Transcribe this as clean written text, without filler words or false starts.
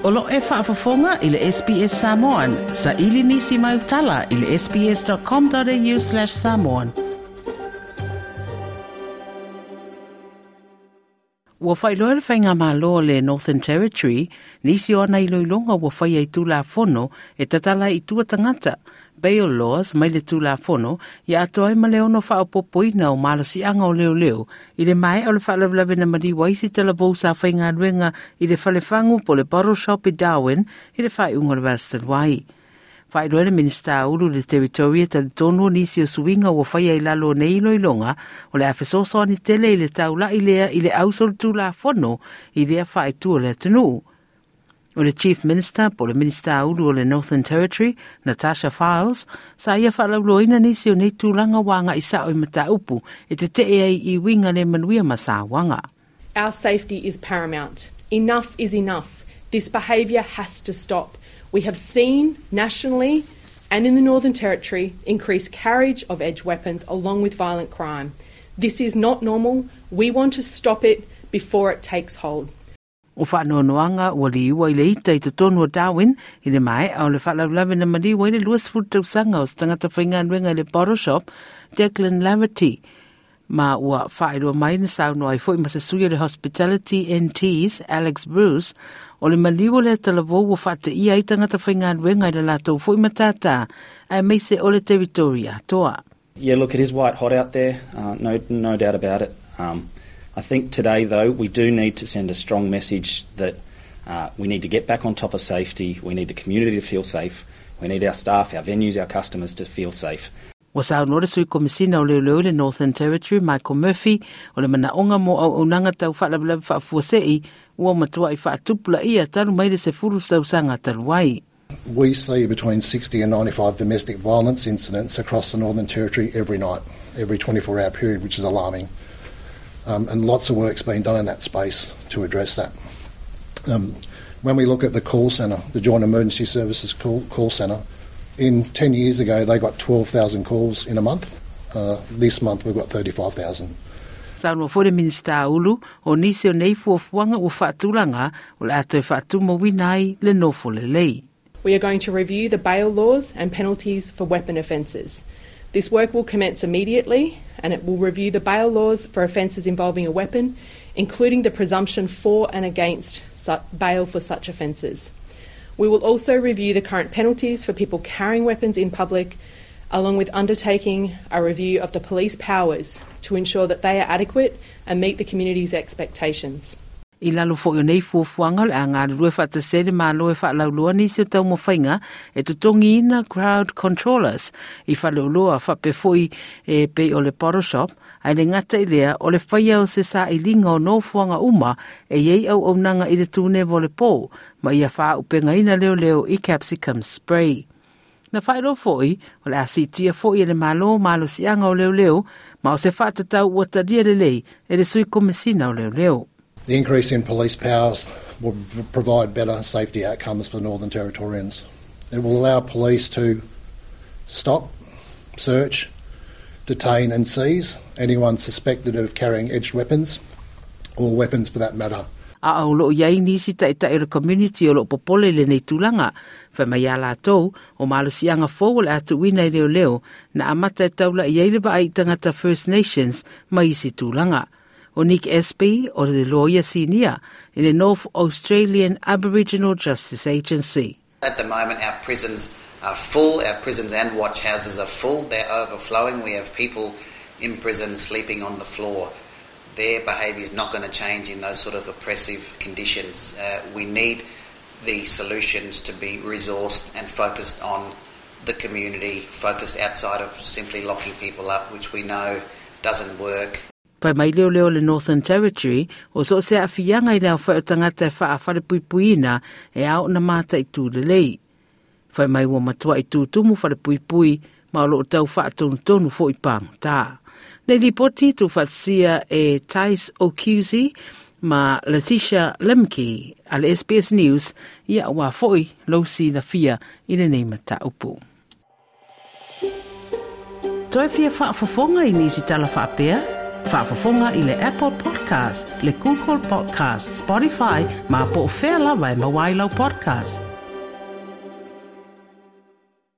O lo e faafofoga i le SBS Samoan. Saili nisi mau tala i le sbs.com.au/samoan. Ua faailoa le Faigamalo o le Northern Territory nisi o ana iloiloga ua faia i Tulafono e tatala ai i tua tagata, bail laws, mai le Tulafono ia atoa ai ma le ono faaopoopoina o malosiaga o leoleo i le maea o le faalavelave na maliu ai se talavou sa faigaluega i le falefagu po o le bottle shop i Darwin i le faaiuga o le vaiaso talu ai. Faailoa le Minisita Ulu i le Teritoria talitonu o nisi o suiga ua faia i lalo o nei iloiloga o le a fesoasoani tele i le taula'i lea i le ausolitulafono i lea faaitu o le atunuu. O le Chief Minister po o le Minisita Ulu o le Northern Territory, Natasha Fyles, sa ia faalauloaina nisi o nei tulaga ua agai sao i mataupu e tetee ai i uiga le manuia ma sauaga. Our safety is paramount. Enough is enough. This behaviour has to stop. We have seen nationally and in the Northern Territory increased carriage of edge weapons along with violent crime. This is not normal. We want to stop it before it takes hold. O faanoanoaga ua liua i le ita i totonu o Darwin i le maea o le faalavelave na maliu ai le 20 tausaga o se tagata faigaluega i le bottle shop, Declan Laverty, ma ua faailoa mai na saunoa ai foi ma se sui o le Hospitality NT's Alex Bruce, o le maliu o lea talavou ua faateia ai tagata faigaluega i le latou foi matata aemaise o le Territory atoa. Yeah, look, it is white hot out there, uh, no, no doubt about it. Um, I think today, though, we do need to send a strong message that uh, we need to get back on top of safety, we need the community to feel safe, we need our staff, our venues, our customers to feel safe. Ua saunoa le Sui Komisina o Leoleo i le Northern Territory, Michael Murphy, o le manaoga mo auaunaga tau faalavelave faafuasei ua matuai faatupulaia talu mai le 10 tausaga talu ai. We see between 60 and 95 domestic violence incidents across the Northern Territory every night, every 24-hour period, which is alarming. Um, and lots of work's been done in that space to address that. Um, when we look at the call centre, the Joint Emergency Services call, call centre, in 10 years ago they got 12,000 calls in a month. Uh, this month we've got 35,000. Saunoa foi le Minisita Ulu, o nisi o nei fuafuaga ua faatulaga o le a toe faatumauina ai le nofo lelei. We are going to review the bail laws and penalties for weapon offences. This work will commence immediately and it will review the bail laws for offences involving a weapon, including the presumption for and against bail for such offences. We will also review the current penalties for people carrying weapons in public, along with undertaking a review of the police powers to ensure that they are adequate and meet the community's expectations. I lalo foi o nei fuafuaga o le a galulue faatasi ai le Malo e faalauiloa nisi o taumafaiga e totogiina crowd controllers i faleoloa faapea foi e pei o le bottle shop, ae le gata i lea o le faia o se sailiga o nofoaga uma e i ai auaunaga i le tuneva o le po ma ia faaaupegaina leoleo i capsicum spray. Na faailoa foi, o le a siitia foi e le Malo malosiaga o leoleo ma o se faatatau ua talia lelei e le Sui Komesina o Leoleo. The increase in police powers will provide better safety outcomes for Northern Territorians. It will allow police to stop, search, detain and seize anyone suspected of carrying edged weapons, or weapons for that matter. A o loo i ai nisi taitai o le community o loo popole i lenei tulaga. Fai mai iā latou, o malosiaga fou o le a tuuina i leoleo na amata e taula i ai le vaai i tagata First Nations ma isi tulaga. O Nick Espy o le loia sinia i le North Australian Aboriginal Justice Agency. At the moment our prisons are full, our prisons and watch houses are full, they're overflowing, we have people in prison sleeping on the floor. Their behaviour is not going to change in those sort of oppressive conditions. Uh, we need the solutions to be resourced and focused on the community, focused outside of simply locking people up, which we know doesn't work. Pai mai leoleo o le Northern Territory, o so o se aafiaga i le aofai o tagata e faa-falepuipuiina e ao ona mataitu lelei. Fai mai ua matuai tutumu falepuipui ma o loo tau faatonutonu foi pagota. Nei lipoti tuufaatasia e Tais O'Cusi ma Letitia Lemke a le SBS News ia aua foi lou silafia i lenei mataupu. Toe fia faafofoga i nisi tala faapea? Faafofoga i le Apple Podcast, le Google Podcast, Spotify, ma po o fea lava e maua ai lau podcast.